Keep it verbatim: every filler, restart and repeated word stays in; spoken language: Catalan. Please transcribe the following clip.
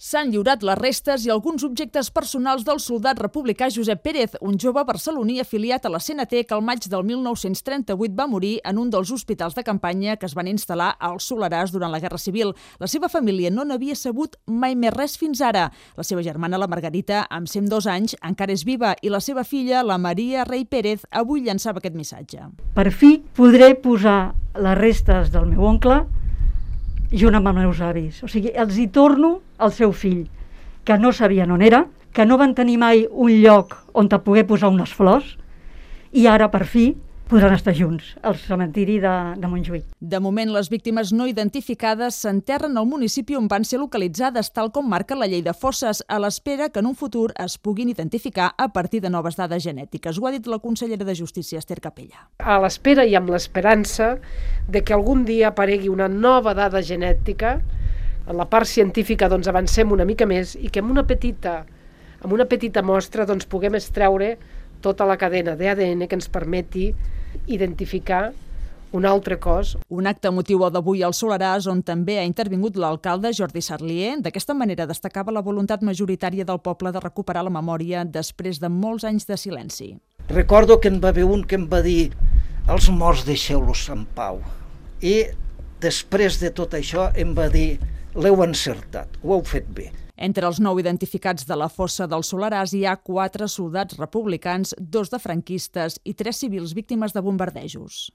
S'han lliurat les restes i alguns objectes personals del soldat republicà Josep Pérez, un jove barceloní afiliat a la C N T que al maig del mil nou-cents trenta-vuit va morir en un dels hospitals de campanya que es van instal·lar al Soleràs durant la Guerra Civil. La seva família no n'havia sabut mai més res fins ara. La seva germana, la Margarita, amb cent dos anys, encara és viva i la seva filla, la Maria Rey Pérez, avui llançava aquest missatge. Per fi podré posar les restes del meu oncle junt amb els meus avis. O sigui, els hi torno al seu fill, que no sabien on era, que no van tenir mai un lloc on te poder posar unes flors, i ara, per fi, podran estar junts al cementiri de, de Montjuïc. De moment, les víctimes no identificades s'enterren al municipi on van ser localitzades, tal com marca la llei de fosses, a l'espera que en un futur es puguin identificar a partir de noves dades genètiques. Ho ha dit la consellera de Justícia, Esther Capella. A l'espera i amb l'esperança de que algun dia aparegui una nova dada genètica, en la part científica doncs, avancem una mica més i que amb una petita, amb una petita mostra doncs, puguem extreure tota la cadena d'A D N que ens permeti identificar un altre cos. Un acte emotiu d'avui al Soleràs on també ha intervingut l'alcalde Jordi Sarlier. D'aquesta manera destacava la voluntat majoritària del poble de recuperar la memòria després de molts anys de silenci. Recordo que en va haver un que em va dir els morts deixeu-los en pau. I després de tot això em va dir l'heu encertat, ho heu fet bé. Entre els nou identificats de la fossa del Soleràs hi ha quatre soldats republicans, dos de franquistes i tres civils víctimes de bombardejos.